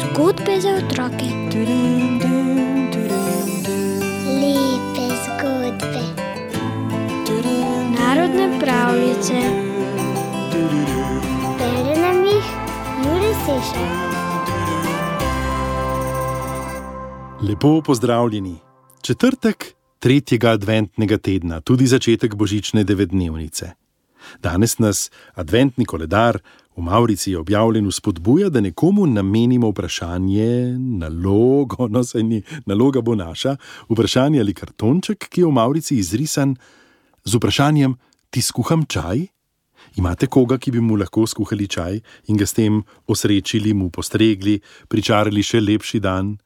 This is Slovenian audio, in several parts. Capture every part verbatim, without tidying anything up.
Zgodbe za otroke. Lepe zgodbe. Narodne pravljice. Bere nam jih Jure Sešar. Lepo pozdravljeni. Četrtek tretjega adventnega tedna, tudi začetek božične devetdnevnice. Danes nas adventni koledar v Mavrici je objavljen vzpodbuja, da nekomu namenimo vprašanje, nalogo, no saj ni, naloga bo naša, vprašanje ali kartonček, ki je v Mavrici izrisan z vprašanjem: ti skuham čaj? Imate koga, ki bi mu lahko skuhali čaj in ga s tem osrečili, mu postregli, pričarali še lepši dan?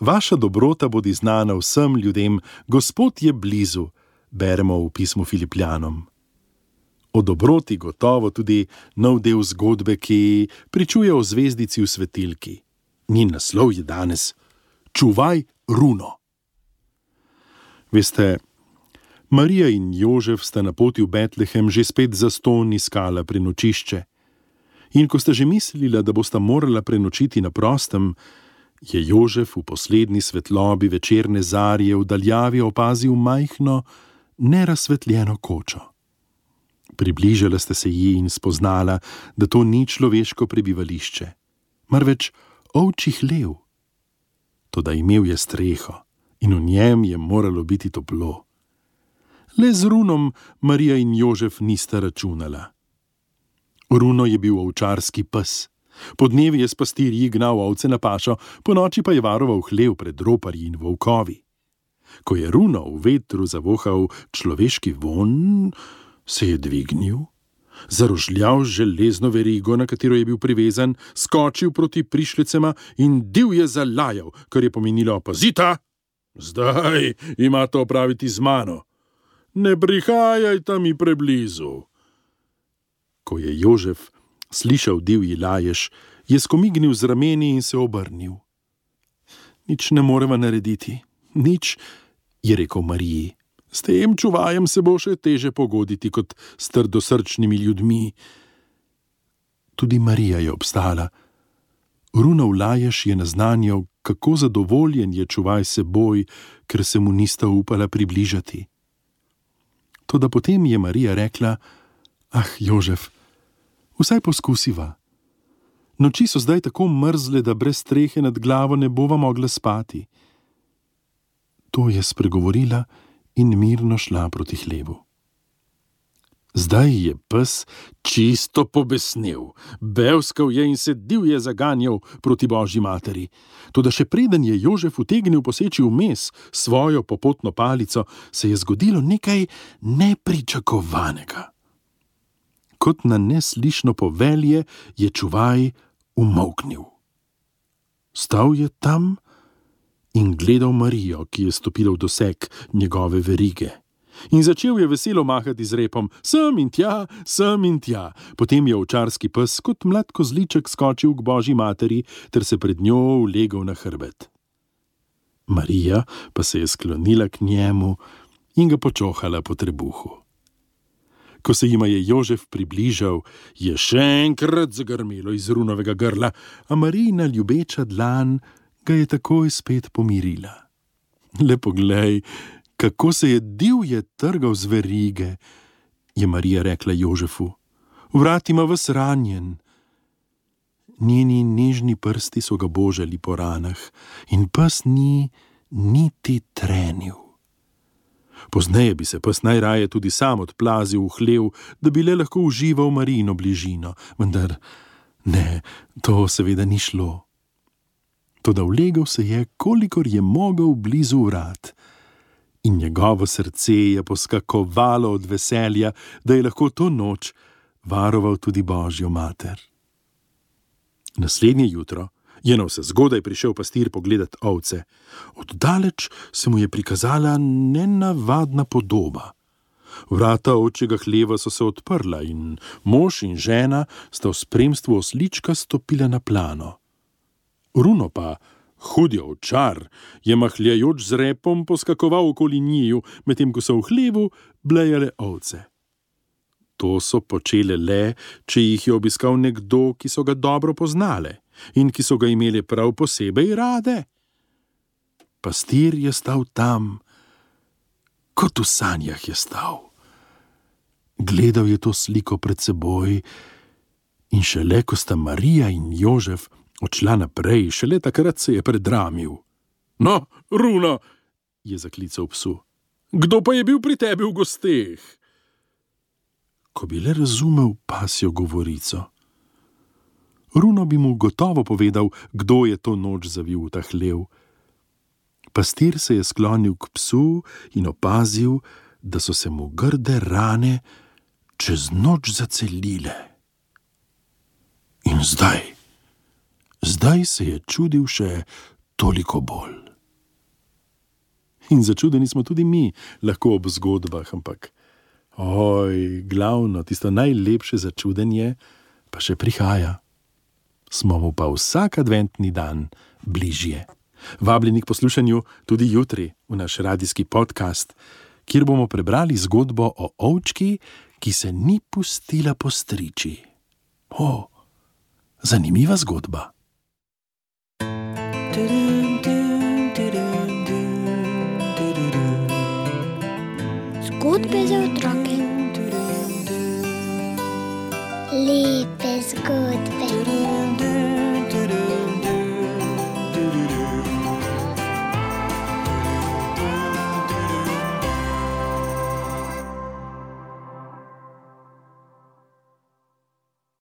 Vaša dobrota bodi znana vsem ljudem, Gospod je blizu, beremo v pismu Filipljanom. O dobroti gotovo tudi nov del zgodbe, ki pričuje o zvezdici v svetilki. Njen naslov je danes Čuvaj runo. Veste, Marija in Jožef sta na poti v Betlehem že spet zastonj iskala prenočišče. In ko sta že mislila, da bosta morala prenočiti na prostem, je Jožef v poslednji svetlobi večerne zarje v daljavi opazil majhno, nerazsvetljeno kočo. Približala sta se ji in spoznala, da to ni človeško prebivališče, marveč ovčji hlev. Toda imel je streho in v njem je moralo biti toplo. Le z runom Marija in Jožef nista računala. Runo je bil ovčarski pes. Podnevi je s pastirji gnal ovce na pašo, ponoči pa je varoval hlev pred roparji in volkovi. Ko je runo v vetru zavohal človeški vonj, se je dvignil, zarožljal železno verigo, na katero je bil privezan, skočil proti prišlecema in divje zalajal, kar je pomenilo: pazita, zdaj imate opraviti z mano. Ne prihajajta mi preblizu. Ko je Jožef slišal divji lajež, je skomignil z rameni in se obrnil. Nič ne moreva narediti, nič, je rekel Mariji. S tem čuvajem se bo še teže pogoditi kot s trdosrčnimi ljudmi. Tudi Marija je obstala. Runov lajež je naznanjal, kako zadovoljen je čuvaj seboj, ker se mu nista upala približati. Toda potem je Marija rekla: ah, Jožef, vsaj poskusiva. Noči so zdaj tako mrzle, da brez strehe nad glavo ne bova mogla spati. To je spregovorila in mirno šla proti hlevu. Zdaj je pes čisto pobesnel, bevskal je in se divje zaganjal proti Božji materi. Toda še preden je Jožef utegnil poseči vmes svojo popotno palico, se je zgodilo nekaj nepričakovanega. Kot na neslišno povelje je čuvaj umolknil. Stal je tam in gledal Marijo, ki je stopila v doseg njegove verige. In začel je veselo mahati z repom, sem in tja, sem in tja. Potem je ovčarski pes kot mlad kozliček skočil k Božji materi ter se pred njo ulegel na hrbet. Marija pa se je sklonila k njemu in ga počohala po trebuhu. Ko se jima je Jožef približal, je še enkrat zagrmelo iz runovega grla, a Marijina ljubeča dlan ga je takoj spet pomirila. Le poglej, kako se je divje trgal z verige, je Marija rekla Jožefu. Vrat ima ves ranjen. Njeni nežni prsti so ga božali po ranah in pes ni niti trenil. Pozneje bi se pes najraje tudi sam odplazil v hlev, da bi le lahko užival Marijino bližino, vendar ne, to seveda ni šlo. Toda vlegel se je, kolikor je mogel, blizu vrat, in njegovo srce je poskakovalo od veselja, da je lahko to noč varoval tudi Božjo mater. Naslednje jutro je navsezgodaj prišel pastir pogledat ovce. Oddaleč se mu je prikazala nenavadna podoba. Vrata ovčjega hleva so se odprla in mož in žena sta v spremstvu oslička stopila na plano. Runo pa, hudi ovčar, je mahljajoč z repom poskakoval okoli njiju, medtem ko so v hlevu blejale ovce. To so počele le, če jih je obiskal nekdo, ki so ga dobro poznale in ki so ga imeli prav posebej rade. Pastir je stal tam, kot v sanjah je stal. Gledal je to sliko pred seboj in šele, ko sta Marija in Jožef odšla naprej, šele takrat se je predramil. No, Runo, je zaklical psu, kdo pa je bil pri tebi v gosteh? Ko bi le razumel pasjo govorico. Runo bi mu gotovo povedal, kdo je to noč zavil v ta hlev. Pastir se je sklonil k psu in opazil, da so se mu grde rane čez noč zacelile. In zdaj, zdaj se je čudil še toliko bolj. In začudeni smo tudi mi, lahko ob zgodbah, ampak oj, glavno, tisto najlepše začudenje pa še prihaja. Smo mu pa vsak adventni dan bližje. Vabljeni k poslušanju tudi jutri v naš radijski podcast, kjer bomo prebrali zgodbo o ovčki, ki se ni pustila postriči. O, zanimiva zgodba. Zgodbe za otroke.